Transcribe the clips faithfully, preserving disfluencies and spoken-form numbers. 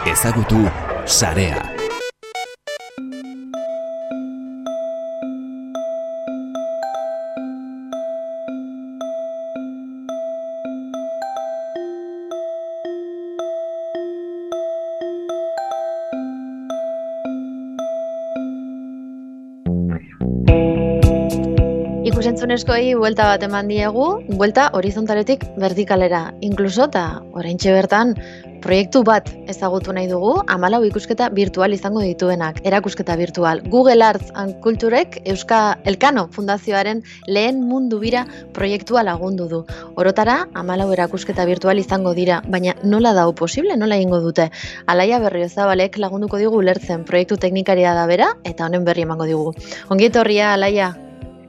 Ezagutu sarea. Ikusentzunezkoei buelta bat eman diegu, buelta horizontaletik vertikalera, inkluso eta oraintxe bertan proiektu bat ezagutu nahi dugu, hamalau ikusketa virtual izango dituenak, erakusketa virtual. Google Arts and Culturek Euska Elkano Fundazioaren lehen mundu bira proiektua lagundu du. Orotara, hamalau erakusketa virtual izango dira, baina nola dau posible, nola egingo dute? Alaia Berriozabalek lagunduko digu ulertzen proiektu teknikaria da bera, eta honen berri emango digu. Ongi etorria, Alaia.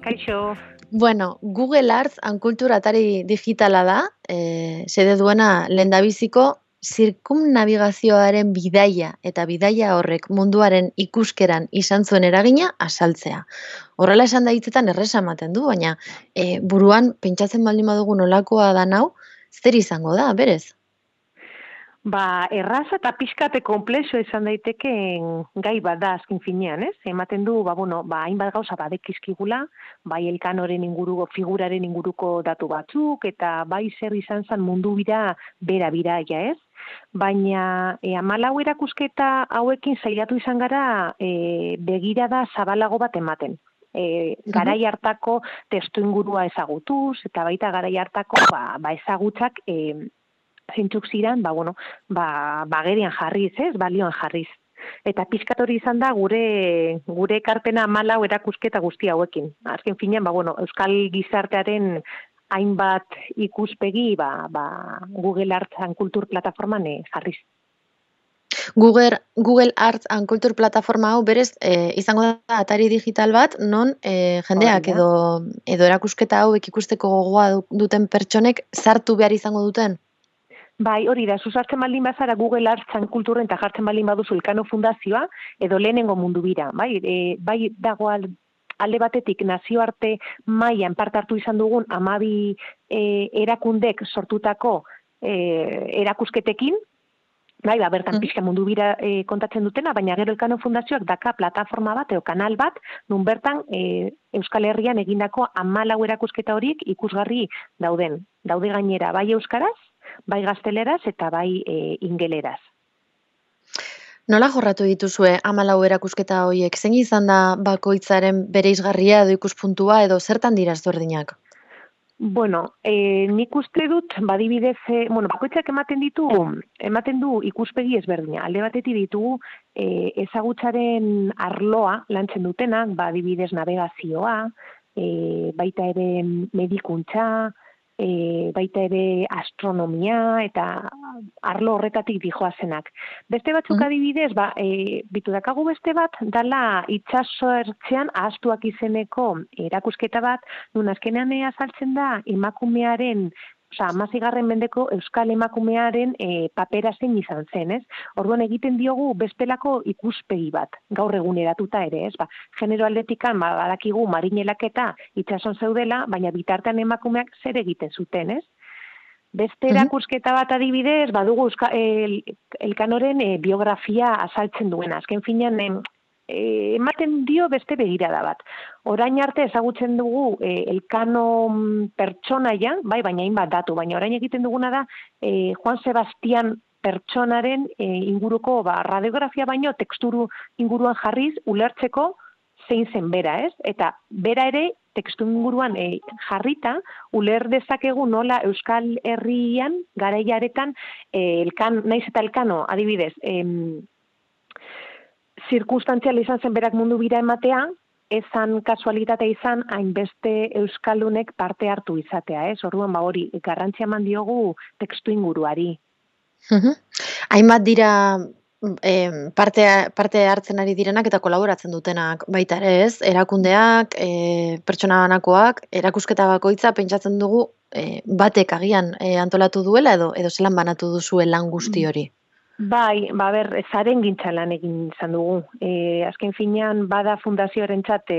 Kaixo. Bueno, Google Arts and Culture atari digitala da, e, sede duena lehendabiziko zirkumnabigazioaren bidaia eta bidaia horrek munduaren ikuskeran izan zuen eragina azaltzea. Horrela esan da hitzetan erresa ematen du, baina e, buruan pentsatzen baldin badugu nolakoa da nau, zer izango da, berez? Ba, erraza eta pixkate komplexo izan daitekeen gai bat da azken finean, ez? Ematen du, ba, bueno, ba, hainbat gauza badekizkigula, bai elkanoren inguruko, figuraren inguruko datu batzuk, eta bai zer izan zen mundu bira bera biraia, ez? Baina e, hamalau erakusketa hauekin saiatu izan gara e, begirada zabalago bat ematen. E, garai hartako testu ingurua ezagutuz, eta baita garai hartako ba, ba ezagutzak e, zeintzuk ziren, ba, bueno, ba, bagerian jarriz, ez, balioan jarriz. Eta pizkat hori izan da gure gure ekarpena hamalau erakusketa guzti hauekin. Azken finean, ba, bueno, Euskal gizartearen hainbat ikuspegi ba, ba, Google Arts and Culture plataforman eh, jarriz. Google, Google Arts and Culture plataforma hau berez e, izango da atari digital bat, non e, jendeak edo, edo erakusketa hauek ikusteko gogoa duten pertsonek sartu behar izango duten? Bai, hori da, zuzartzen baldin bazara Google Arts and Culture eta jartzen baldin baduzu Elkano Fundazioa, edo lehenengo mundu bira. Bai, e, bai dago alde batetik nazioarte mailan parte hartu izan dugun hamabi e, erakundek sortutako e, erakusketekin, bai, ba, bertan mm. pixka mundu bira e, kontatzen dutena, baina gero Elkano Fundazioak daka plataforma bat, edo kanal bat, nun bertan e, Euskal Herrian egindako hamalau erakusketa horiek ikusgarri dauden. Daude gainera, bai euskaraz, bai gazteleraz eta bai e, ingeleraz. Nola jorratu dituzue hamalau erakusketa horiek? Zein izan da bakoitzaren bereizgarria edo ikuspuntua edo zertan dira ezberdinak? Bueno, e, nik uste dut, badibidez, e, bueno, bakoitzak ematen ditu, ematen du ikuspegi ezberdina. Alde batetik ditugu e, ezagutzaren arloa lantzen dutenak, badibidez navegazioa, e, baita ere medikuntza, E, baita ere astronomia eta arlo horretatik dijoazenak. Beste batzuk mm. adibidez, ba, e, bitu dakagu beste bat, dala itsaso ertzean ahaztuak izeneko erakusketa bat, nun azkenean azaltzen da emakumearen, osea, hamaseigarren mendeko euskal emakumearen e, papera zein izan zen, ez? Orduan egiten diogu bestelako ikuspegi bat, gaur eguneratuta ere, ez? Ba, genero aldetikan, ba, badakigu marinelak eta itsason zeudela, baina bitartean emakumeak zer egiten zuten, ez? Beste erakusketa bat adibidez, badugu euska, el, elkanoren e, biografia azaltzen duena. Azken finean, e, ematen dio beste begirada bat. Orain arte ezagutzen dugu e, Elkano pertsonaia, bai, baina hainbat datu, baina orain egiten duguna da e, Juan Sebastian pertsonaren e, inguruko ba, radiografia baino teksturu inguruan jarriz ulertzeko zein zen bera, ez? Eta bera ere tekstu inguruan e, jarrita uler dezakegu nola Euskal Herrian garaiaretan e, elkan, naiz eta Elkano adibidez, em, zirkunstantzial izan zen berak mundu bira ematea, ezan kasualitatea izan hainbeste euskaldunek parte hartu izatea, ez? Orduan ba hori garrantzia eman diogu tekstu inguruari. Mhm. Hainbat dira eh, parte, parte hartzen ari direnak eta kolaboratzen dutenak baita ere, ez? Erakundeak, eh, pertsona banakoak, erakusketa bakoitza pentsatzen dugu eh, batek agian eh, antolatu duela edo edo zelan banatu duzue lan guzti hori. Bai, ba ber, zaren gintza lan egin izan dugu. E, azken finean, bada fundazioaren txat e,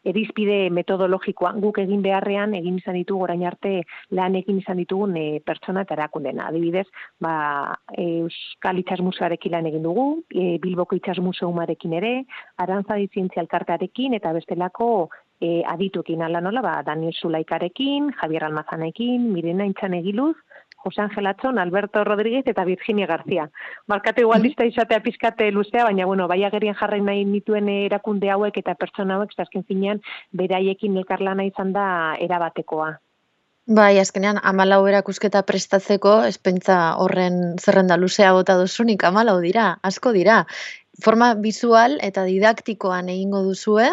erizpide metodologikoa. Guk egin beharrean, egin izan ditugu orain arte lan egin izan ditugun e, pertsona eta erakundena. Adibidez, ba, Euskal Itxas Museoarekin lan egin dugu, e, Bilboko Itxas Museumarekin ere, Arantzadi Zientzia Elkartearekin eta bestelako e, adituekin ala nola, ba, Daniel Zulaikarekin, Javier Almazanekin, Mirena Intxanegiluz, Jose Angel Atzon, Alberto Rodríguez eta Virginia García. Markate igual lista izatea pizkate luzea, baina bueno, bai agerian jarri nahi nituen erakunde hauek eta pertsona hauek, azken finean beraiekin elkarlana izan da erabatekoa. Bai, azkenean hamalau erakusketa prestatzeko, espentza horren zerrenda luzea bota duzunik, hamalau dira, asko dira. Forma visual eta didaktikoan egingo duzue,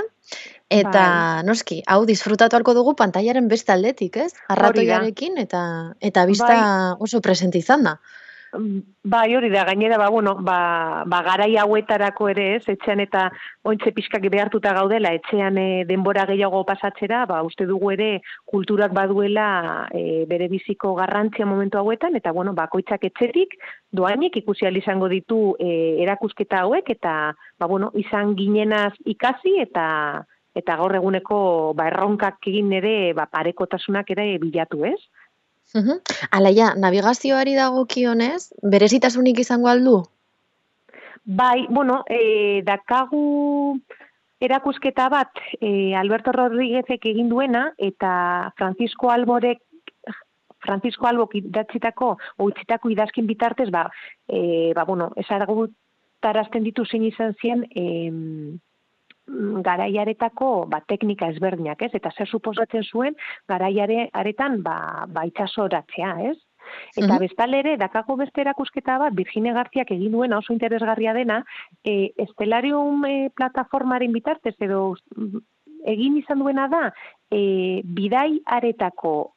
eta Bai. noski, hau disfrutatu halko dugu pantailaren beste aldetik, ez? Arratoiarekin eta eta bista Bai. oso presente izan da. Bai, hori da, gainera, ba, bueno, ba, ba garai hauetarako ere ez, etxean eta ointxe pixkak behartuta gaudela, etxean e, denbora gehiago pasatzera, ba, uste dugu ere kulturak baduela e, bere biziko garrantzia momentu hauetan, eta, bueno, bakoitzak etxetik, doainik ikusi ahal izango ditu e, erakusketa hauek, eta, ba, bueno, izan ginenaz ikasi, eta eta gaur eguneko ba, erronkak egin ere ba, parekotasunak ere bilatu, ez? Uhum. Alaia, navigazioari dagokionez, berezitasunik izango aldu? Bai, bueno, e, dakagu erakusketa bat e, Alberto Rodríguezek egin duena eta Francisco Alborek Francisco Albok idatzitako o utzitako idazkin bitartez, ba, e, ba bueno, ezagutarazten ditu zein izan zien em, garaiaretako ba, teknika ezberdinak, ez? Eta zer suposatzen zuen garaiare aretan ba, ba itxasoratzea, ez? Eta Mhm. bestalde ere, dakago beste erakusketa bat, Virginia Garziak egin duena oso interesgarria dena, e, Estelarium e, plataformaren bitartez, edo egin izan duena da, e, bidai aretako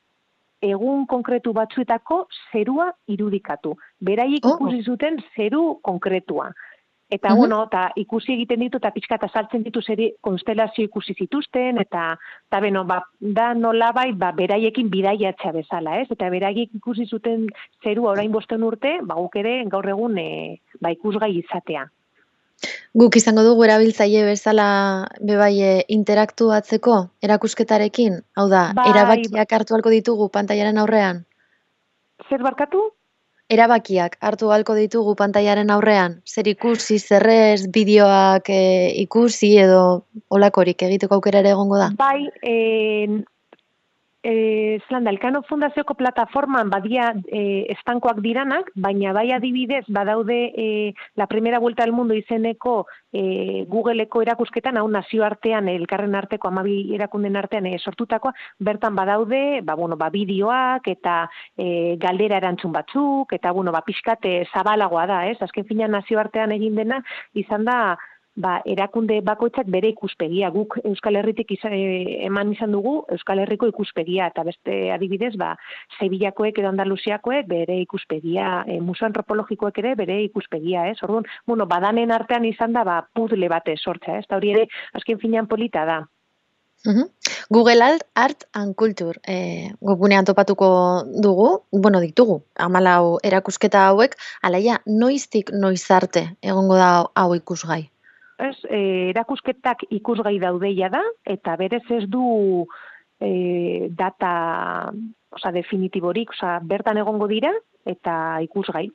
egun konkretu batzuetako zerua irudikatu. Beraiek Oh. ikusi zuten zeru konkretua. Eta, Mhm. bueno, eta ikusi egiten ditu, eta pixka eta saltzen ditu zeri konstelazio ikusi zituzten, eta, eta beno, ba, da nolabait, ba, beraiekin bidaiatzea bezala, ez? Eta beraiek ikusi zuten zerua orain bosten urte, ba, guk ere gaur egun e, ba, ikusgai izatea. Guk izango dugu erabiltzaile bezala bebai e, interaktuatzeko erakusketarekin? Hau da, Bai, erabakiak hartu halko ditugu pantailaren aurrean? Zer barkatu? Erabakiak hartu halko ditugu pantailaren aurrean? Zer ikusi, zer ez, bideoak e, ikusi edo olakorik egiteko aukera ere egongo da? Bai, e, e, Zelanda, Elkano Fundazioko plataforman badia e, estankoak diranak, baina bai adibidez badaude e, La Primera Vuelta al Mundo izeneko e, Googleeko erakusketan, hau nazioartean, elkarren arteko, amabi erakunden artean e, sortutakoa, bertan badaude, ba, bueno, ba, bideoak eta e, galdera erantzun batzuk, eta, bueno, ba, pixkate zabalagoa da, ez? Azken finean nazioartean egin dena, izan da, ba, erakunde bakoitzak bere ikuspegia. Guk Euskal Herritik izan, e, eman izan dugu Euskal Herriko ikuspegia, eta beste adibidez, ba, Sevillakoek edo Andaluziakoek bere ikuspegia, e, museo antropologikoek ere bere ikuspegia, ez? Orduan, bueno, badanen artean izan da, ba, puzzle bate sortza, ez? Eta hori ere, azken finean polita da. Uhum. Google Art and Culture e, webgunean topatuko dugu, bueno, ditugu, hamalau erakusketa hauek, alaia, noiztik noiz arte egongo da hau ikusgai? Ez, e, erakusketak ikusgai daudeia da, eta berez ez du e, data, oza, definitiborik, oza, bertan egongo dira, eta ikusgai.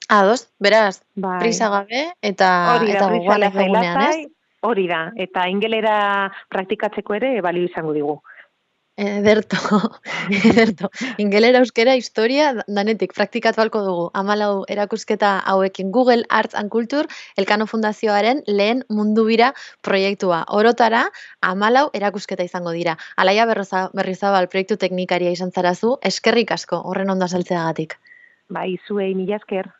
Ados, beraz, Bai. prisa gabe eta Hori da, eta prisa gogoan lasai, egunean, ez? lasai, hori da, eta ingelera praktikatzeko ere balio izango digu. Ederto, ederto. Ingelera, euskera, historia, danetik praktikatu halko dugu. Hamalau erakusketa hauekin Google Arts and Culture, Elkano Fundazioaren lehen mundu bira proiektua. Orotara, hamalau erakusketa izango dira. Alaia Berrizabal proiektu teknikaria izan zarazu, eskerrik asko horren ondo azaltzeagatik. Bai, zuei mila esker.